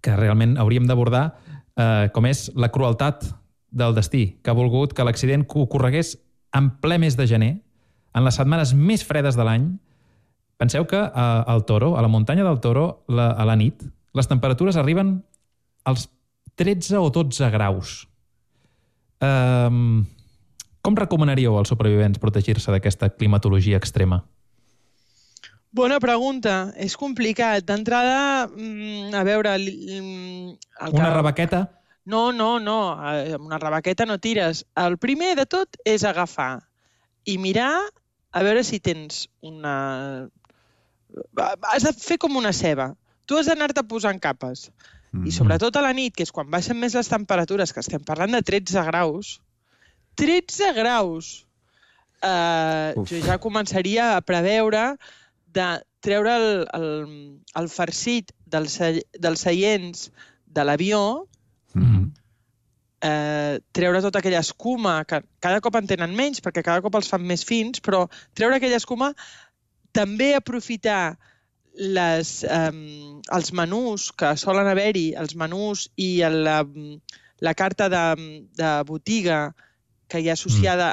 realment hauríem d'abordar, com és la crueltat del destí, que ha volgut que l'accident ocorregués en ple mes de gener, en les setmanes més fredes de l'any. Penseu que al Toro, a la muntanya del Toro, a la nit, les temperatures arriben als 13 o 12 graus. Com recomanaríeu als supervivents protegir-se d'aquesta climatologia extrema? Bona pregunta. És complicat. D'entrada, a veure... Una rebequeta? No. Amb una rebequeta no tires. El primer de tot és agafar i mirar a veure si tens una... Has de fer com una ceba. Tu has d'anar-te posant capes. I sobretot a la nit, que és quan baixen més les temperatures, que estem parlant de 13 graus. 13 graus! Jo ja començaria a preveure de treure el farcit dels seients de l'avió, treure tota aquella escuma, que cada cop en tenen menys, perquè cada cop els fan més fins, però treure aquella escuma, també aprofitar els menús que solen haver-hi, els menús i la carta de botiga que hi ha associada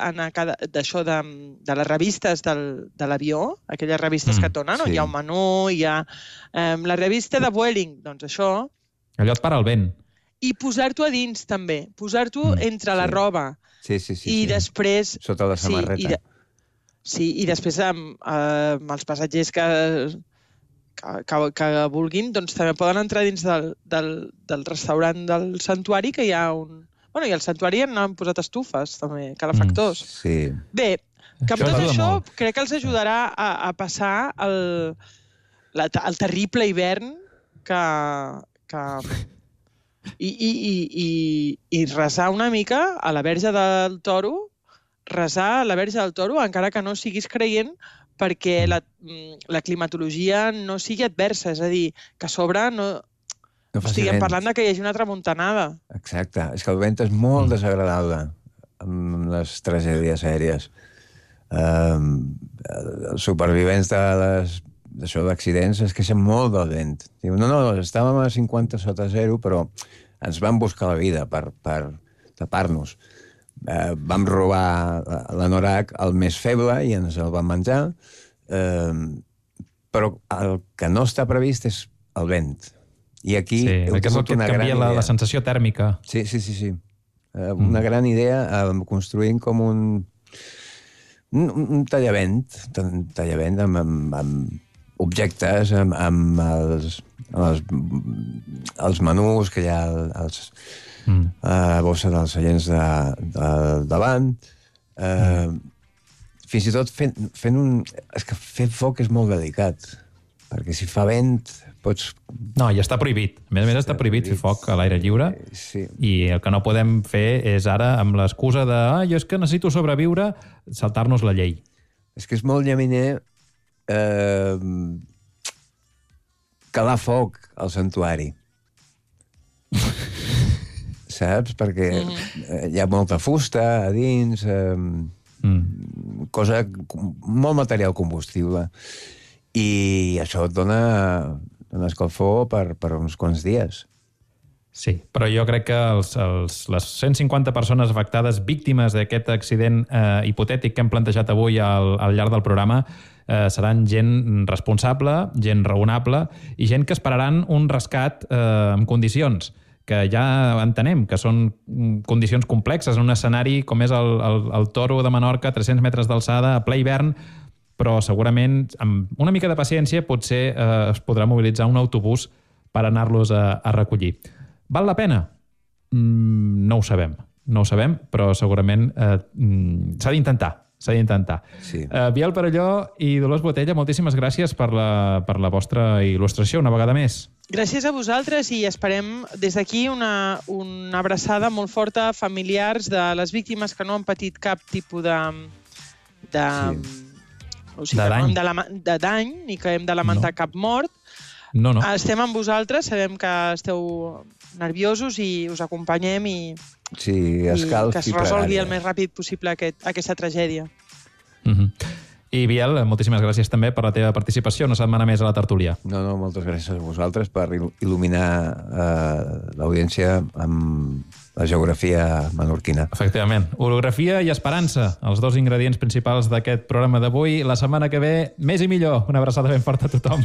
d'això de les revistes de l'avió, aquelles revistes que et donen, on hi ha un menú, hi ha la revista de Vueling, doncs això... Allò et para el vent. I posar-t'ho a dins, també. Posar-t'ho entre la roba. Sí. I després... Sota la samarreta. Sí, i després amb els passatgers que vulguin, doncs també poden entrar dins del restaurant del santuari, que hi ha un... Bueno, i al santuari han posat estufes, també, calefactors. Sí. Bé, que amb tot això crec que els ajudarà a passar el terrible hivern i resar una mica a la Verge del Toro, encara que no siguis creient, perquè la climatologia no sigui adversa, és a dir, que a sobre no estiguem parlant que hi hagi una tramuntanada. Exacte, és que el vent és molt desagradable amb les tragèdies aèries. Els supervivents d'accidents es queixen molt del vent. Diuen, no, estàvem a 50 sota zero, però ens van buscar la vida per tapar-nos. Vam robar l'anorac al més feble i ens el vam menjar, però el que no està previst és el vent. I aquí heu tingut una gran idea. La sensació tèrmica. Sí. Una gran idea construint com un tallavent amb objectes, amb els menús que hi ha a bossa dels seients de davant. Fins i tot fent un... És que fer foc és molt delicat, perquè si fa vent pots... No, i està prohibit. A més està prohibit fer foc a l'aire lliure, i el que no podem fer és ara, amb l'excusa de jo és que necessito sobreviure, saltar-nos la llei. És que és molt llaminer calar foc al santuari. Saps? Perquè hi ha molta fusta a dins, molt material combustible, i això et dona escalfor per uns quants dies. Sí, però jo crec que les 150 persones afectades, víctimes d'aquest accident hipotètic que hem plantejat avui al llarg del programa, seran gent responsable, gent raonable i gent que esperaran un rescat en condicions, que ja entenem que són condicions complexes en un escenari com és el Toro de Menorca, 300 metres d'alçada, a ple hivern, però segurament amb una mica de paciència potser es podrà mobilitzar un autobús per anar-los a recollir. Val la pena? No ho sabem. No ho sabem, però segurament s'ha d'intentar. Sí. Biel Perelló i Dolors Botella, moltíssimes gràcies per la vostra il·lustració una vegada més. Gràcies a vosaltres i esperem des d'aquí una abraçada molt forta a familiars de les víctimes que no han patit cap tipus de dany ni que hem de lamentar cap mort. No. Estem amb vosaltres, sabem que esteu nerviosos i us acompanyem i que es resolgui el més ràpid possible aquesta tragèdia. I Biel, moltíssimes gràcies també per la teva participació una setmana més a la tertúlia. No, moltes gràcies a vosaltres per il·luminar l'audiència amb la geografia menorquina. Efectivament. Orografia i esperança, els dos ingredients principals d'aquest programa d'avui. La setmana que ve, més i millor. Una abraçada ben forta a tothom.